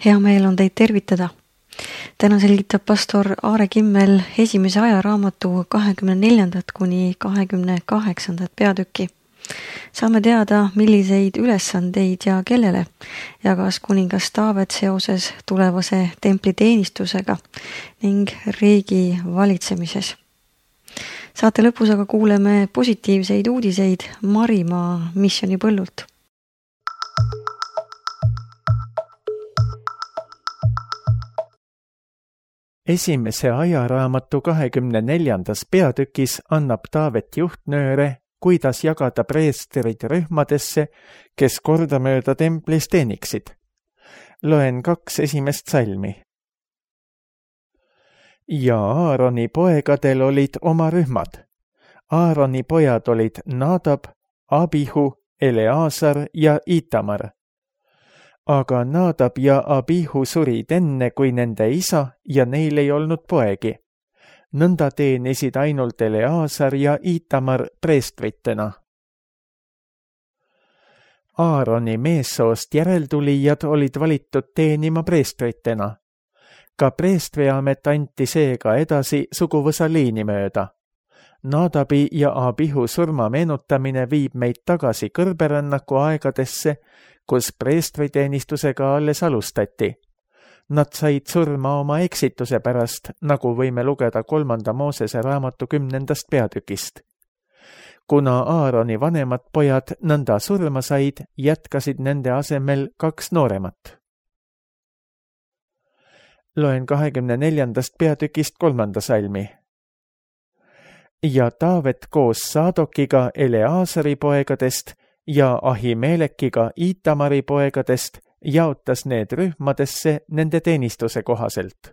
Hea meel on teid tervitada. Täna selgitab pastor Aare Kimmel esimese ajaraamatu 24. kuni 28. peatükki. Saame teada, milliseid ülesandeid ja kellele jagas kuningas Taavet seoses tulevase templiteenistusega ning riigi valitsemises. Saate lõpus aga kuuleme positiivseid uudiseid Marimaa missionipõllult. Esimese ajaraamatu 24. peatükis annab Taavet juhtnööre, kuidas jagada preestrid rühmadesse, kes kordamööda templis teeniksid. Loen 2 esimest salmi. Ja Aaroni poegadel olid oma rühmad. Aaroni pojad olid Nadab, Abihu, Eleazar ja Itamar. Aga Nadab ja Abihu surid enne kui nende isa ja neil ei olnud poegi. Nõnda teenisid ainult Eleazar ja Itamar preestritena. Aaroni meessoost järeltulijad olid valitud teenima preestritena. Ka preestriamet anti seega edasi suguvõsa liini mööda. Nadabi ja Abihu surma meenutamine viib meid tagasi kõrberännaku aegadesse, kus preestriteenistusega alles alustati. Nad said surma oma eksituse pärast, nagu võime lugeda 3. Moosese raamatu 10. peatükist. Kuna Aaroni vanemad pojad nõnda surma said, jätkasid nende asemel 2 nooremat. Loen 24. peatükist 3. salmi. Ja Taavet koos Saadokiga Eleazari poegadest ja Ahimelekiga Itamari poegadest jaotas need rühmadesse nende teenistuse kohaselt.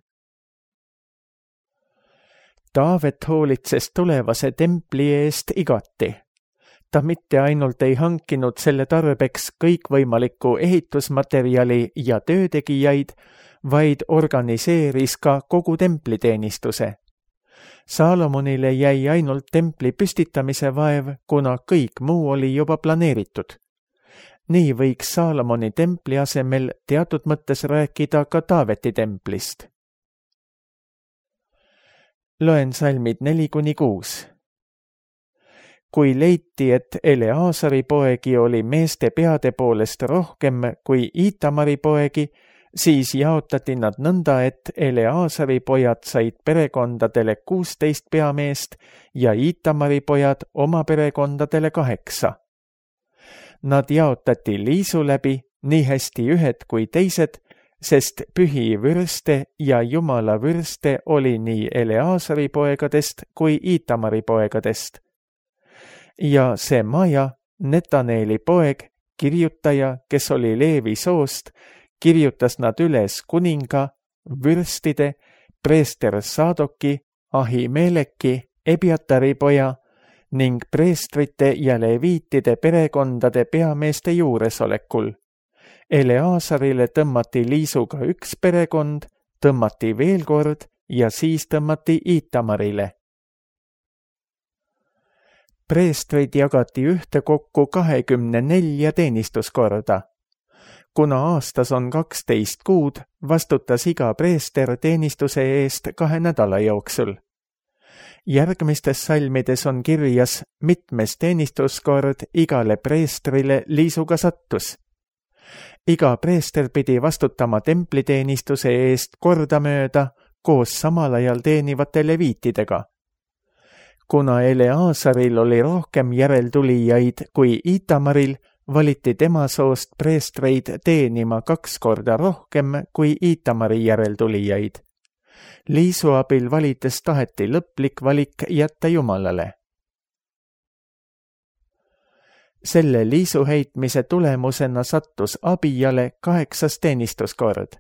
Taavet hoolitses tulevase templi eest igati. Ta mitte ainult ei hankinud selle tarbeks kõikvõimalikku ehitusmaterjali ja töötegijaid, vaid organiseeris ka kogu templiteenistuse. Saalomonile jäi ainult templi püstitamise vaev, kuna kõik muu oli juba planeeritud. Nii võiks Saalomoni templi asemel teatud mõttes rääkida ka Taaveti templist. Loen salmid 4-6. Kui leiti, et Eleazari poegi oli meeste peade poolest rohkem kui Itamari poegi, siis jaotati nad nõnda, et Eleazari pojad said perekondadele 16 peameest ja Itamari pojad oma perekondadele 8. Nad jaotati liisu läbi, nii hästi ühed kui teised, sest pühi vürste ja jumala vürste oli nii Eleazari poegadest kui Itamari poegadest. Ja see Maja, Netaneeli poeg, kirjutaja, kes oli Leevi soost, kirjutas nad üles kuninga, vürstide, preester Saadoki, Ahimeleki, Ebiatari poja ning preestrite ja leviitide perekondade peameeste juuresolekul. Eleazarile tõmmati liisuga 1 perekond, tõmmati veel kord ja siis tõmmati Itamarile. Preestrid jagati ühtekokku 24 teenistuskorda. Kuna aastas on 12 kuud, vastutas iga preester teenistuse eest 2 nädala jooksul. Järgmistes salmides on kirjas, mitmes teenistuskord igale preestrile liisuga sattus. Iga preester pidi vastutama templiteenistuse eest kordamööda koos samal ajal teenivate leviitidega. Kuna Eleazaril oli rohkem järeltulijaid kui Itamaril, valiti tema soost preestreid teenima 2 korda rohkem kui Itamari järeltulijaid. Liisu abil valites taheti lõplik valik jätta Jumalale. Selle liisu heitmise tulemusena sattus Abijale 8. teenistuskord.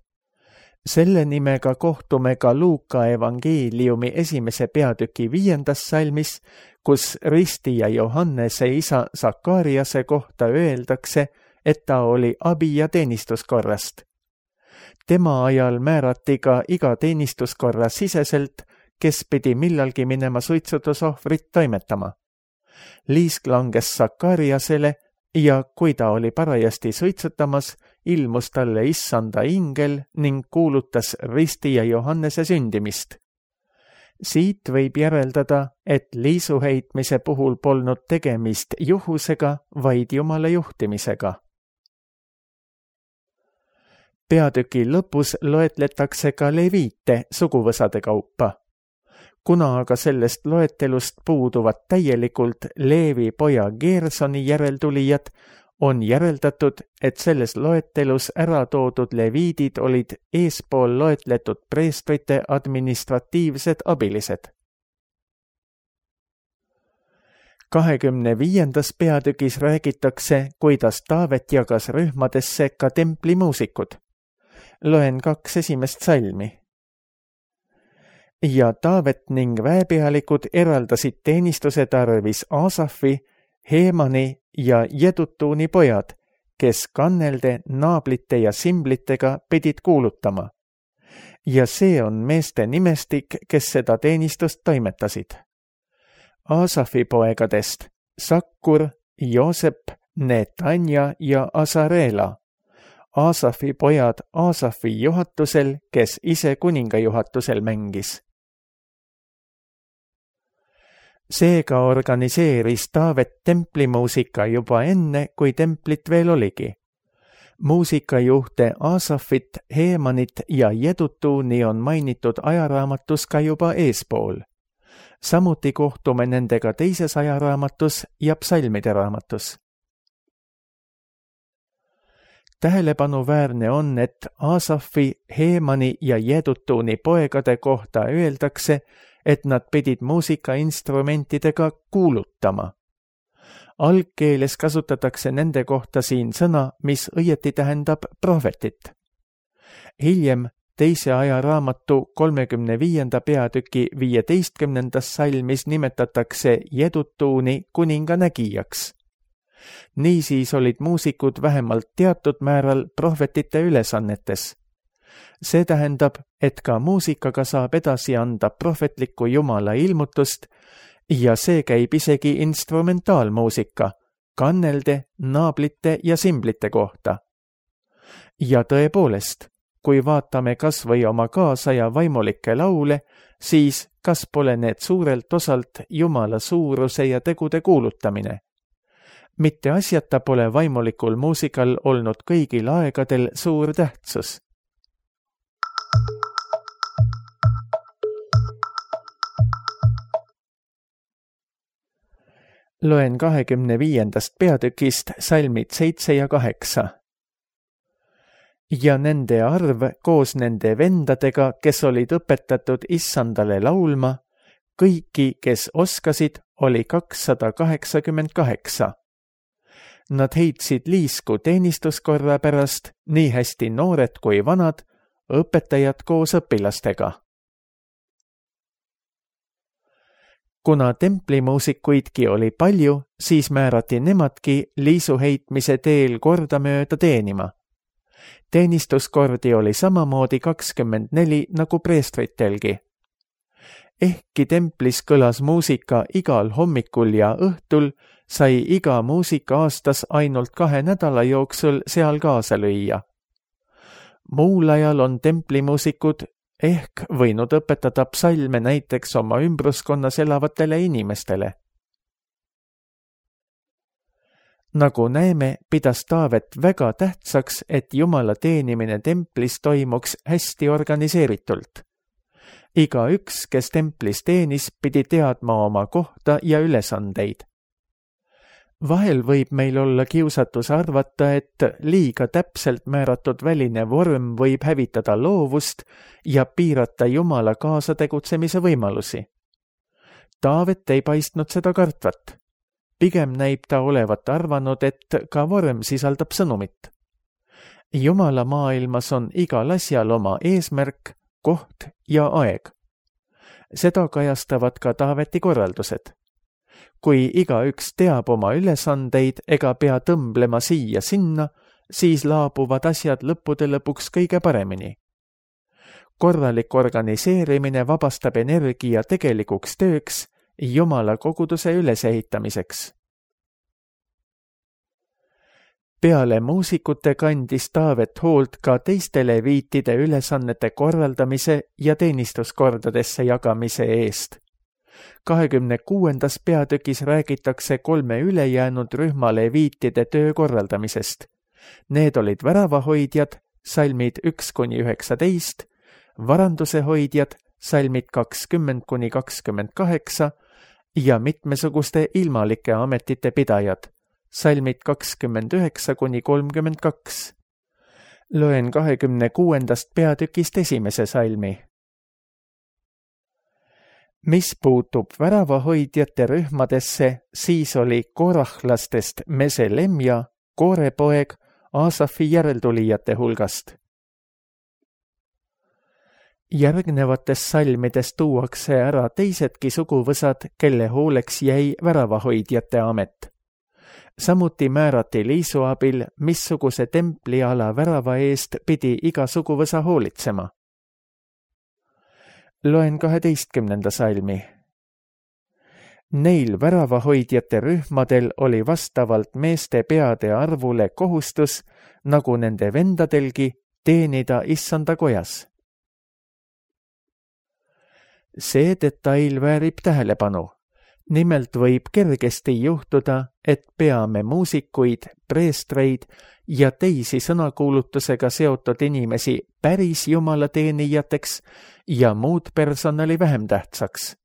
Selle nimega kohtume ka Luuka evangeeliumi 1. peatüki 5. salmis, kus Ristija Johannese isa Sakariase kohta öeldakse, et ta oli Abija teenistuskorrast. Tema ajal määrati ka iga teenistuskorra siseselt, kes pidi millalgi minema suitsutusohvrit toimetama. Liisk langes Sakariasele ja kui ta oli parajasti suitsutamas, ilmus talle issanda ingel ning kuulutas Risti ja Johannese sündimist. Siit võib järeldada, et liisuheitmise puhul polnud tegemist juhusega, vaid Jumala juhtimisega. Peatüki lõpus loetletakse ka leviite suguvõsade kaupa. Kuna aga sellest loetelust puuduvad täielikult Leevi poja Geersoni järeltulijad, on järeldatud, et selles loetelus ära toodud leviidid olid eespool loetletud preestrite administratiivsed abilised. 25. peatükis räägitakse, kuidas Taavet jagas rühmadesse ka templimuusikud. Loen 2 esimest salmi. Ja Taavet ning väepealikud eraldasid teenistuse tarvis Aasafi, Heemani ja Jedutuuni pojad, kes kannelde, naablite ja simblitega pidid kuulutama. Ja see on meeste nimestik, kes seda teenistust toimetasid. Aasafi poegadest Sakkur, Joosep, Netanja ja Asareela. Aasafi pojad Aasafi juhatusel, kes ise kuninga juhatusel mängis. Seega organiseeris Taavet templimuusika juba enne, kui templit veel oligi. Muusikajuhte Aasafit, Heemanit ja Jedutuuni on mainitud ajaraamatus ka juba eespool. Samuti kohtume nendega teises ajaraamatus ja psalmide raamatus. Tähelepanuväärne on, et Aasafi, Heemani ja Jedutuuni poegade kohta öeldakse, et nad pidid muusikainstrumentidega kuulutama. Algkeeles kasutatakse nende kohta siin sõna, mis õieti tähendab prohvetit. Hiljem teise ajaraamatu 35. peatüki 15. salmis nimetatakse Jedutuuni kuninga nägijaks. Niisiis olid muusikud vähemalt teatud määral prohvetite ülesannetes. See tähendab, et ka muusikaga saab edasi anda prohvetliku Jumala ilmutust ja see käib isegi instrumentaalmuusika, kannelde, naablite ja simblite kohta. Ja tõepoolest, kui vaatame kas või oma kaasaja vaimulikke laule, siis kas pole need suurelt osalt Jumala suuruse ja tegude kuulutamine? Mitte asjata pole vaimulikul muusikal olnud kõigil aegadel suur tähtsus. Loen 25. peatükist salmid 7 ja 8. Ja nende arv koos nende vendadega, kes olid õpetatud issandale laulma, kõiki, kes oskasid, oli 288. Nad heitsid liisku teenistuskorra pärast, nii hästi noored kui vanad, õpetajad koos õpilastega. Kuna templimuusikuidki oli palju, siis määrati nemadki liisuheitmise teel kordamööda teenima. Teenistuskordi oli samamoodi 24 nagu preestritelgi. Ehkki templis kõlas muusika igal hommikul ja õhtul, sai iga muusika aastas ainult 2 nädala jooksul seal kaasa lüüa. Muul ajal on templimuusikud ehk võinud õpetada psalme näiteks oma ümbruskonnas elavatele inimestele. Nagu näeme, pidas Taavet väga tähtsaks, et Jumala teenimine templis toimuks hästi organiseeritult. Igaüks, kes templis teenis, pidi teadma oma kohta ja ülesandeid. Vahel võib meil olla kiusatus arvata, et liiga täpselt määratud väline vorm võib hävitada loovust ja piirata Jumala kaasategutsemise võimalusi. Taavet ei paistnud seda kartvat. Pigem näib ta olevat arvanud, et ka vorm sisaldab sõnumit. Jumala maailmas on igal asjal oma eesmärk, koht ja aeg. Seda kajastavad ka Taaveti korraldused. Kui igaüks teab oma ülesandeid ega pea tõmblema siia-sinna, siis laabuvad asjad lõppude lõpuks kõige paremini. Korralik organiseerimine vabastab energia tegelikuks tööks, Jumala koguduse ülesehitamiseks. Peale muusikute kandis Taavet hoolt ka teiste leviitide ülesannete korraldamise ja teenistuskordadesse jagamise eest. 26. peatükis räägitakse 3 ülejäänud rühma leviitide töö korraldamisest. Need olid väravahoidjad, salmid 1-19, varanduse hoidjad, salmid 20-28 ja mitmesuguste ilmalike ametite pidajad, salmid 29-32. Loen 26. peatükist 1. salmi. Mis puutub väravahoidjate rühmadesse, siis oli korahlastest Meselemja, Koore poeg, Aasafi järeltulijate hulgast. Järgnevates salmides tuuakse ära teisedki suguvõsad, kelle hooleks jäi väravahoidjate amet. Samuti määrati Liisu abil, missuguse templiala värava eest pidi iga suguvõsa hoolitsema. Loen 12. salmi. Neil väravahoidjate rühmadel oli vastavalt meeste peade arvule kohustus, nagu nende vendadelgi, teenida Issanda kojas. See detail väärib tähelepanu. Nimelt võib kergesti juhtuda, et peame muusikuid, preestreid ja teisi sõnakuulutusega seotud inimesi päris jumala teenijateks ja muud personali vähem tähtsaks.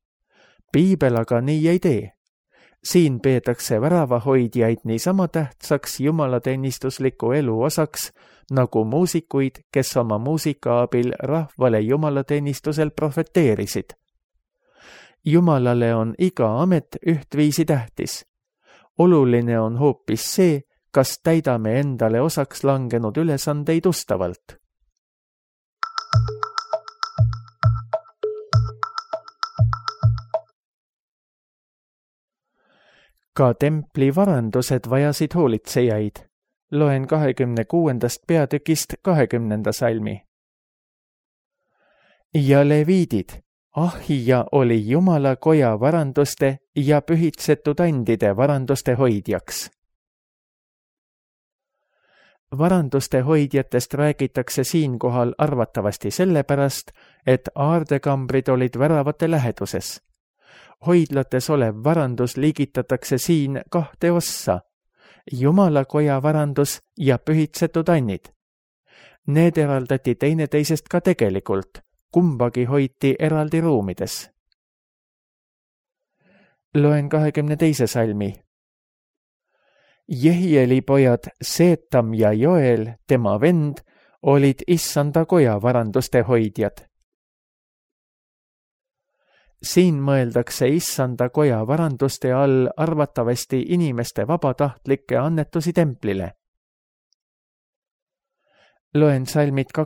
Piibel aga nii ei tee. Siin peetakse väravahoidjaid niisama tähtsaks jumalateenistusliku elu osaks, nagu muusikuid, kes oma muusika abil rahvale jumalateenistusel profeteerisid. Jumalale on iga amet ühtviisi tähtis. Oluline on hoopis see, kas täidame endale osaks langenud ülesandeid ustavalt. Ka templi varandused vajasid hoolitsejaid. Loen 26. peatükist 20. salmi. Ja leviidid. Ahija oli Jumala koja varanduste ja pühitsetud andide varanduste hoidjaks. Varanduste hoidjatest räägitakse siinkohal arvatavasti sellepärast, et aardekambrid olid väravate läheduses. Hoidlates olev varandus liigitatakse siin 2 ossa, Jumala koja varandus ja pühitsetud annid. Need eraldati teineteisest ka tegelikult, kumbagi hoiti eraldi ruumides. Loen 22. salmi. Jehieli pojad Seetam ja Joel, tema vend, olid Issanda koja varanduste hoidjad. Siin mõeldakse Issanda koja varanduste all arvatavasti inimeste vabatahtlikke annetusi templile. Loen salmid 26-28.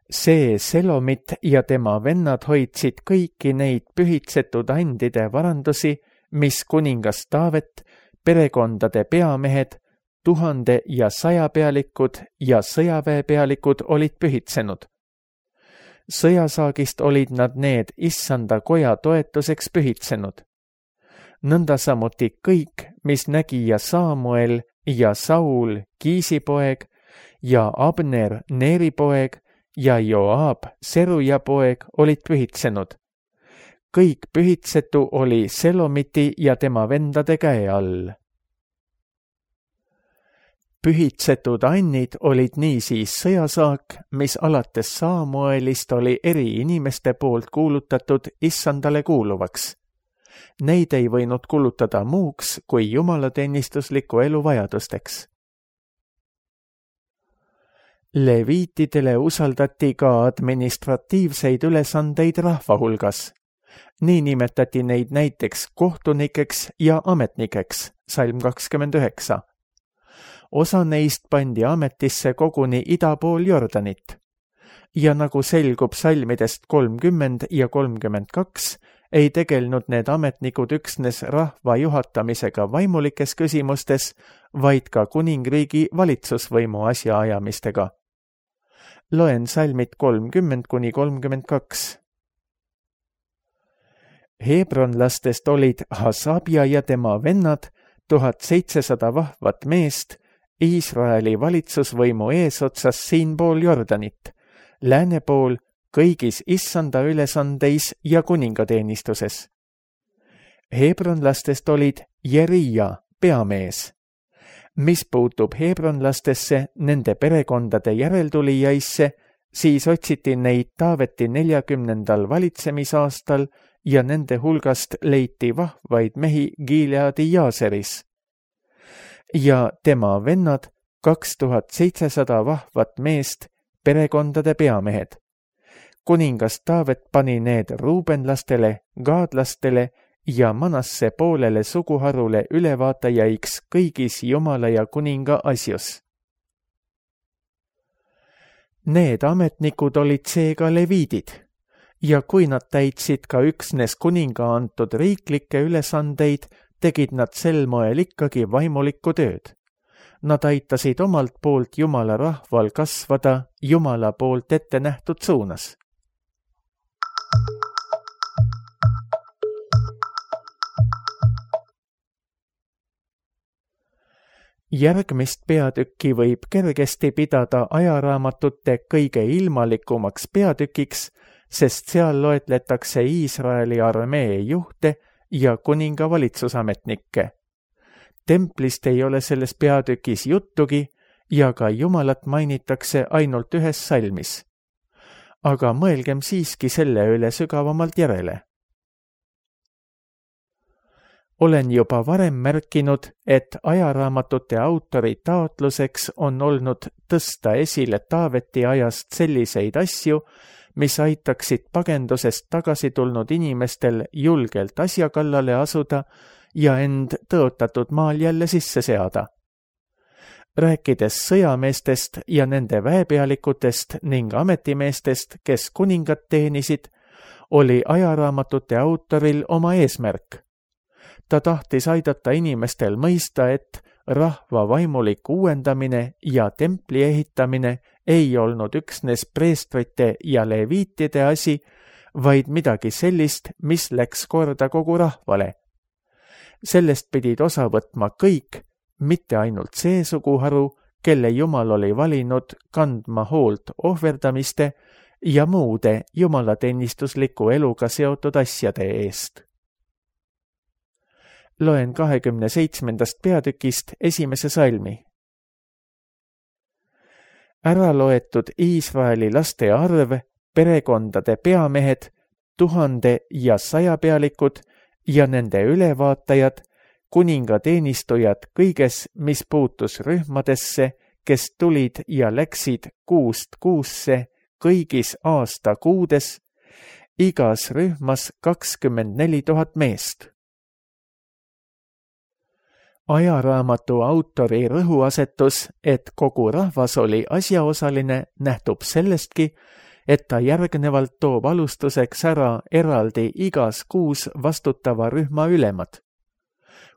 See Selomit ja tema vennad hoidsid kõiki neid pühitsetud andide varandusi, mis kuningas Taavet, perekondade peamehed, 1000 ja 100 pealikud ja sõjaväepealikud olid pühitsenud. Sõjasaagist olid nad need Issanda koja toetuseks pühitsenud. Nõnda samuti kõik, mis nägija Saamuel ja Saul, Kiisi poeg, ja Abner, Neeri poeg, ja Joab, Seruja poeg, olid pühitsenud. Kõik pühitsetu oli Selomiti ja tema vendade käe all. Pühitsetud annid olid niisiis sõjasaak, mis alates Saamuelist oli eri inimeste poolt kuulutatud Issandale kuuluvaks. Neid ei võinud kulutada muuks kui jumalateenistusliku elu vajadusteks. Leviitidele usaldati ka administratiivseid ülesandeid rahva hulgas. Nii nimetati neid näiteks kohtunikeks ja ametnikeks, salm 29. Osa neist pandi ametisse koguni ida pool Jordanit. Ja nagu selgub salmidest 30 ja 32, ei tegelnud need ametnikud üksnes rahva juhatamisega vaimulikes küsimustes, vaid ka kuningriigi valitsusvõimu asjaajamistega. Loen salmid 30-32. Hebronlastest olid Hasabja ja tema vennad, 1700 vahvat meest, Iisraeli valitsusvõimu eesotsas siinpool Jordanit, lääne pool kõigis issanda ülesandeis ja kuningateenistuses. Hebronlastest olid Jerija, peamees. Mis puutub hebronlastesse, nende perekondade järeltulijaisse, siis otsiti neid Taaveti 40. valitsemisaastal ja nende hulgast leiti vahvaid mehi Gileadi Jaaseris. Ja tema vennad 2700 vahvat meest, perekondade peamehed. Kuningas Taavet pani need ruubenlastele, gaadlastele ja Manasse poolele suguharule ülevaatajaiksi kõigis Jumala ja kuninga asjus. Need ametnikud olid seega leviidid ja kui nad täitsid ka üksnes kuninga antud riiklikke ülesandeid, tegid nad sel moel ikkagi vaimulikku tööd. Nad aitasid omalt poolt Jumala rahval kasvada Jumala poolt ette nähtud suunas. Järgmist peatükki võib kergesti pidada ajaraamatute kõige ilmalikumaks peatükiks, sest seal loetletakse Iisraeli armee juhte ja kuninga valitsusametnikke. Templist ei ole selles peatükis juttugi ja ka Jumalat mainitakse ainult ühes salmis. Aga mõelgem siiski selle üle sügavamalt järele. Olen juba varem märkinud, et ajaraamatute autori taotluseks on olnud tõsta esile Taaveti ajast selliseid asju, mis aitaksid pagendusest tagasi tulnud inimestel julgelt asja kallale asuda ja end tõotatud maal jälle sisse seada. Rääkides sõjameestest ja nende väepealikutest ning ametimeestest, kes kuningat teenisid, oli ajaraamatute autoril oma eesmärk. Ta tahtis aidata inimestel mõista, et rahva vaimulik uuendamine ja templi ehitamine ei olnud üksnes preestrite ja leviitide asi, vaid midagi sellist, mis läks korda kogu rahvale. Sellest pidid osa võtma kõik, mitte ainult see suguharu, kelle Jumal oli valinud kandma hoolt ohverdamiste ja muude jumalateenistusliku eluga seotud asjade eest. Loen 27. peatükist esimese salmi. Ära loetud Iisraeli laste arv, perekondade peamehed, 1000 ja 100 pealikud ja nende ülevaatajad, kuningateenistujad kõiges, mis puutus rühmadesse, kes tulid ja läksid kuust kuusse kõigis aasta kuudes, igas rühmas 24 000 meest. Ajaraamatu autori rõhuasetus, et kogu rahvas oli asjaosaline, nähtub sellestki, et ta järgnevalt toob alustuseks ära eraldi igas kuus vastutava rühma ülemad.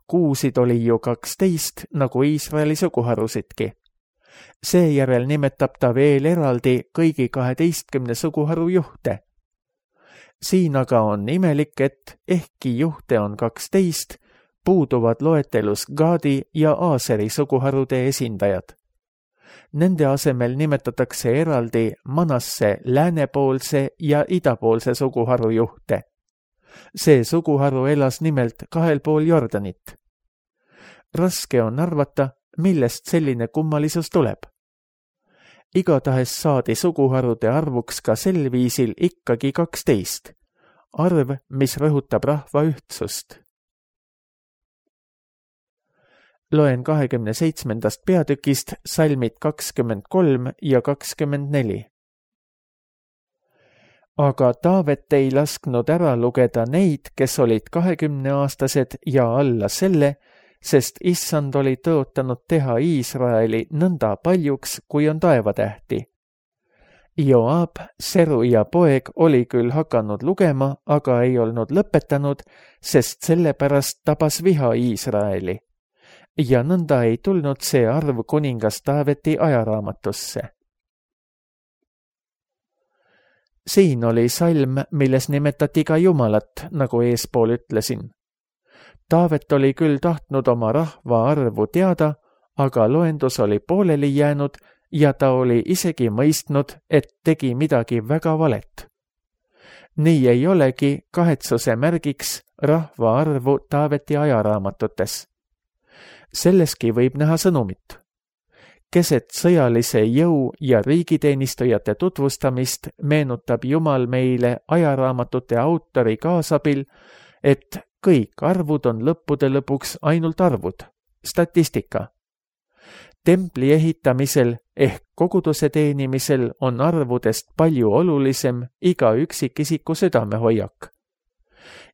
Kuusid oli ju 12, nagu Iisraeli suguharusidki. Seejärel nimetab ta veel eraldi kõigi 12 suguharu juhte. Siin aga on imelik, et ehkki juhte on 12, puuduvad loetelus Gaadi ja Aaseri suguharude esindajad. Nende asemel nimetatakse eraldi Manasse läänepoolse ja idapoolse suguharu juhte. See suguharu elas nimelt kahel pool Jordanit. Raske on arvata, millest selline kummalisus tuleb. Igatahes saadi suguharude arvuks ka sel viisil ikkagi 12, arv, mis rõhutab rahva ühtsust. Loen 27. peatükist salmid 23 ja 24. Aga Taavet ei lasknud ära lugeda neid, kes olid 20-aastased ja alla selle, sest issand oli tõotanud teha Iisraeli nõnda paljuks, kui on taevatähti. Joab, Seruja poeg, oli küll hakanud lugema, aga ei olnud lõpetanud, sest sellepärast tabas viha Iisraeli. Ja nõnda ei tulnud see arv kuningas Taaveti ajaraamatusse. Siin oli salm, milles nimetati ka Jumalat, nagu eespool ütlesin. Taavet oli küll tahtnud oma rahva arvu teada, aga loendus oli pooleli jäänud ja ta oli isegi mõistnud, et tegi midagi väga valet. Nii ei olegi kahetsuse märgiks rahva arvu Taaveti ajaraamatutes. Selleski võib näha sõnumit. Keset sõjalise jõu ja riigiteenistujate tutvustamist meenutab Jumal meile ajaraamatute autori kaasabil, et kõik arvud on lõppude lõpuks ainult arvud, statistika. Templi ehitamisel ehk koguduse teenimisel on arvudest palju olulisem iga üksikisiku südamehoiak.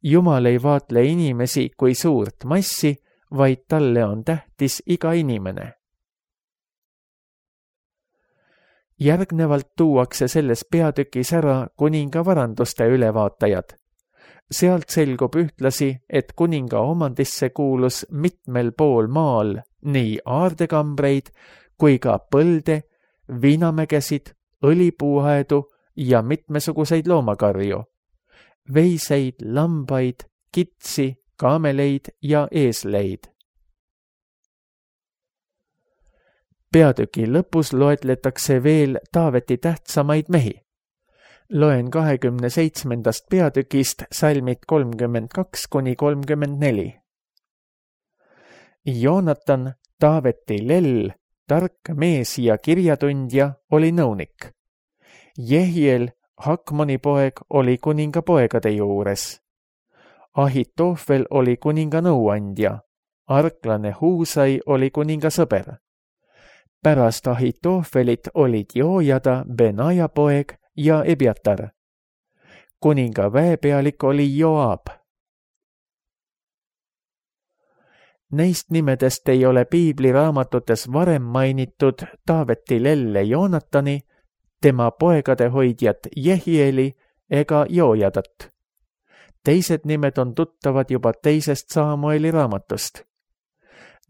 Jumal ei vaatle inimesi kui suurt massi, vaid talle on tähtis iga inimene. Järgnevalt tuuakse selles peatükis ära kuninga varanduste ülevaatajad. Sealt selgub ühtlasi, et kuninga omandisse kuulus mitmel pool maal nii aardekambreid kui ka põlde, viinamägesid, õlipuuaedu ja mitmesuguseid loomakarju, veiseid, lambaid, kitsi, kaameleid ja eesleid. Peatüki lõpus loetletakse veel Taaveti tähtsamaid mehi. Loen 27. peatükist salmid 32–34. Joonatan, Taaveti lell, tark mees ja kirjatundja, oli nõunik. Jehiel, Hakmoni poeg, oli kuninga poegade juures. Ahitoofel oli kuninga nõuandja. Arklane Huusai oli kuninga sõber. Pärast Ahitoofelit olid Joojada, Benaja poeg ja Ebiatar. Kuninga väepealik oli Joab. Neist nimedest ei ole piibliraamatutes varem mainitud Taaveti lelle Joonatani, tema poegade hoidjat Jehieli ega Joojadat. Teised nimed on tuttavad juba teisest Saamueli raamatust.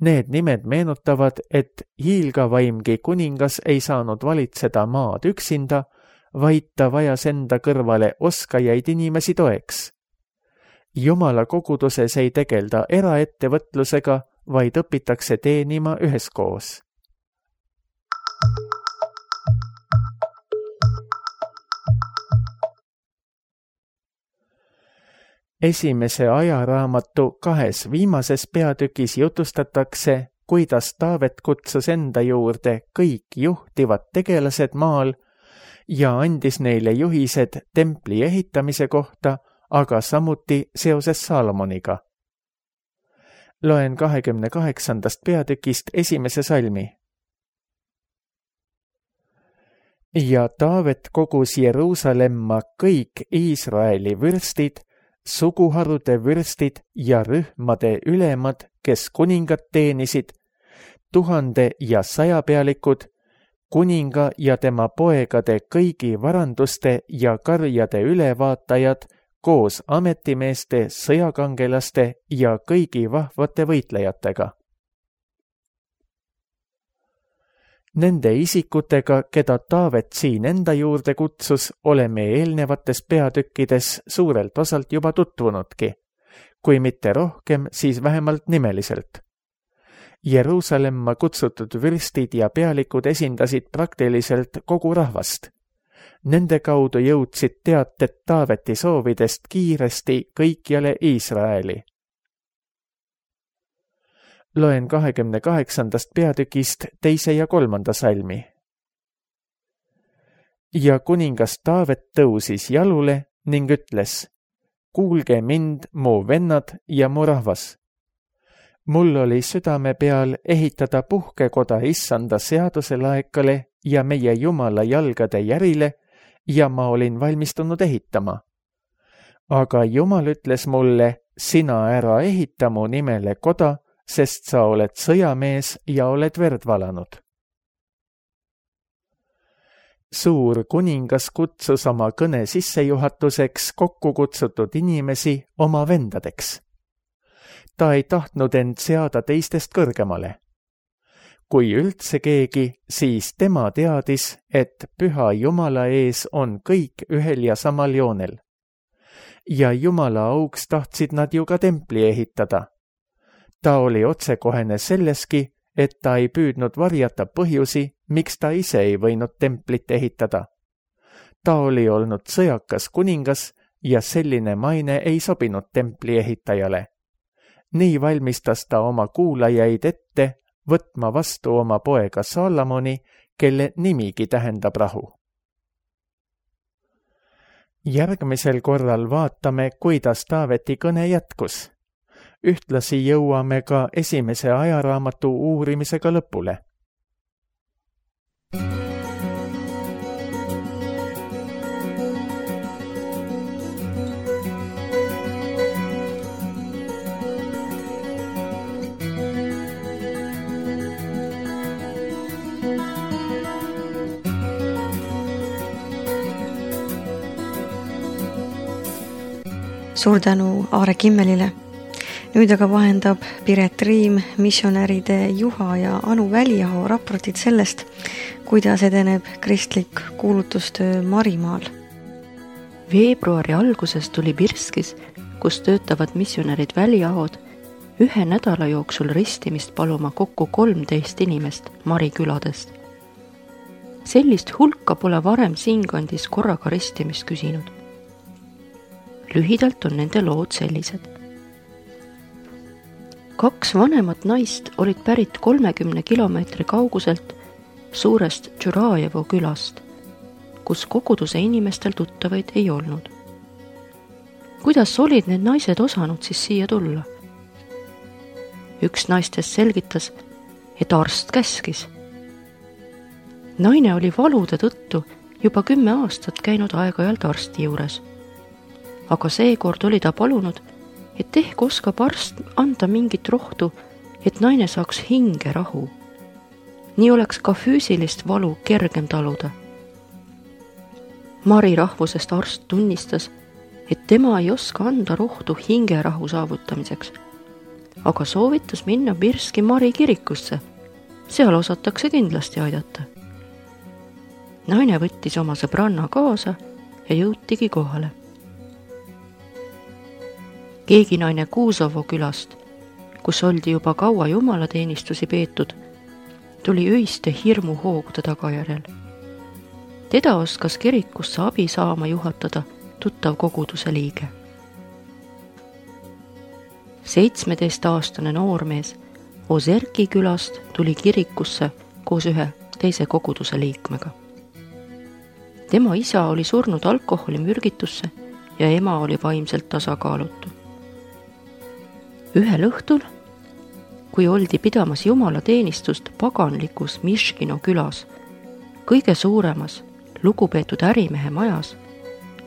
Need nimed meenutavad, et hiilgavaimgi kuningas ei saanud valitseda maad üksinda, vaid ta vajas enda kõrvale oskajaid inimesi toeks. Jumala koguduses ei tegelda eraettevõtlusega, vaid õpitakse teenima üheskoos. Esimese ajaraamatu 2 viimases peatükis jutustatakse, kuidas Taavet kutsus enda juurde kõik juhtivad tegelased maal ja andis neile juhised templi ehitamise kohta, aga samuti seoses Saalomoniga. Loen 28. peatükist esimese salmi. Ja Taavet kogus Jeruusalemma kõik Iisraeli vürstid, suguharude vürstid ja rühmade ülemad, kes kuningat teenisid, 1000 ja 100 pealikud, kuninga ja tema poegade kõigi varanduste ja karjade ülevaatajad koos ametimeeste, sõjakangelaste ja kõigi vahvate võitlejatega. Nende isikutega, keda Taavet siin enda juurde kutsus, oleme eelnevates peatükkides suurelt osalt juba tutvunudki, kui mitte rohkem, siis vähemalt nimeliselt. Jeruusalemma kutsutud vürstid ja pealikud esindasid praktiliselt kogu rahvast. Nende kaudu jõudsid teated Taaveti soovidest kiiresti kõikjale Iisraeli. Loen 28. peatükist 2. ja 3. salmi. Ja kuningas Taavet tõusis jalule ning ütles, kuulge mind, mu vennad ja mu rahvas. Mul oli südame peal ehitada puhkekoda Issanda seaduse laekale ja meie Jumala jalgade järile ja ma olin valmistunud ehitama. Aga Jumal ütles mulle, sina ära ehita mu nimele koda, sest sa oled sõjamees ja oled verd valanud. Suur kuningas kutsus oma kõne sissejuhatuseks kokku kutsutud inimesi oma vendadeks. Ta ei tahtnud end seada teistest kõrgemale. kui üldse keegi, siis tema teadis, et püha Jumala ees on kõik ühel ja samal joonel. Ja Jumala auks tahtsid nad ju ka templi ehitada. Ta oli otsekohene selleski, et ta ei püüdnud varjata põhjusi, miks ta ise ei võinud templit ehitada. Ta oli olnud sõjakas kuningas ja selline maine ei sobinud templi ehitajale. Nii valmistas ta oma kuulajaid ette võtma vastu oma poega Salomoni, kelle nimigi tähendab rahu. Järgmisel korral vaatame, kuidas Taaveti kõne jätkus. Ühtlasi jõuame ka esimese ajaraamatu uurimisega lõpule. Suur tänu Aare Kimmelile. Nüüd aga vahendab Piret Riim missionäride Juha ja Anu Väliaho raportid sellest, kuidas edeneb kristlik kuulutustöö Marimaal. Veebruari alguses tuli Birskis, kus töötavad missionärid Väliahod, 1 nädala jooksul ristimist paluma kokku 13 inimest Mari küladest. Sellist hulka pole varem siinkandis korraga ristimist küsinud. Lühidalt on nende lood sellised. 2 vanemat naist olid pärit 30 kilomeetri kauguselt suurest Tšurajevo külast, kus koguduse inimestel tuttavaid ei olnud. Kuidas olid need naised osanud siis siia tulla? Üks naistest selgitas, et arst käskis. Naine oli valude tõttu juba 10 aastat käinud aeg-ajalt arsti juures. Aga seekord oli ta palunud, et ehk oskab arst anda mingit rohtu, et naine saaks hinge rahu. Nii oleks ka füüsilist valu kergem taluda. Mari rahvusest arst tunnistas, et tema ei oska anda rohtu hinge rahu saavutamiseks, aga soovitas minna Birski Mari kirikusse. Seal osatakse kindlasti aidata. Naine võttis oma sõbranna kaasa ja jõutigi kohale. Keegi naine Kuusovo külast, kus oldi juba kaua jumalateenistusi peetud, tuli öiste hirmu hoogude tagajärjel. Teda oskas kirikusse abi saama juhatada tuttav koguduse liige. 17-aastane noormees Ozerki külast tuli kirikusse koos 1 teise koguduse liikmega. Tema isa oli surnud alkoholimürgitusse ja ema oli vaimselt tasakaalutu. Ühel õhtul, kui oldi pidamas jumalateenistust paganlikus Miškino külas, kõige suuremas lugupeetud ärimehe majas,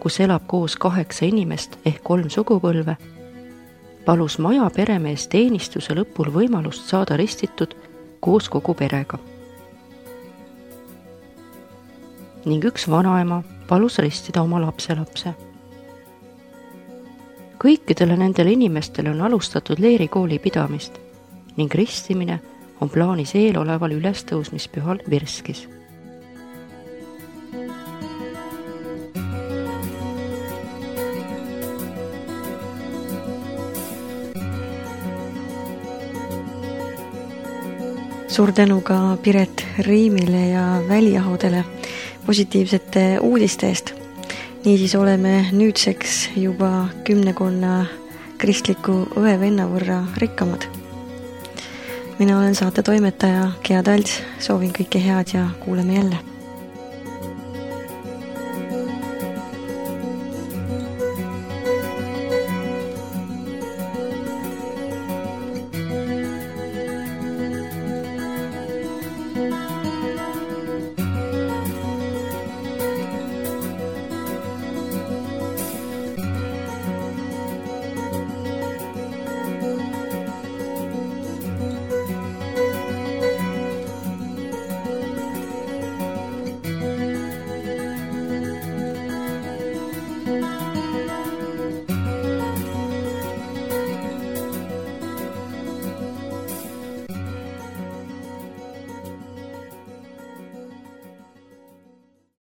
kus elab koos 8 inimest ehk 3 sugupõlve, palus maja peremees teenistuse lõpul võimalust saada ristitud koos kogu perega. Ning üks vanaema palus ristida oma lapselapse. Kõikidele nendele inimestele on alustatud leerikooli pidamist ning ristimine on plaanis eeloleval ülestõusmispühal Birskis. Suur tänu ka Piret Riimile ja Väliahodele positiivsete uudiste eest. Niisiis oleme nüüdseks juba 10 kristliku õe-venna võrra rikkamad. Mina olen saate toimetaja Gea Talts, soovin kõike head ja kuuleme jälle.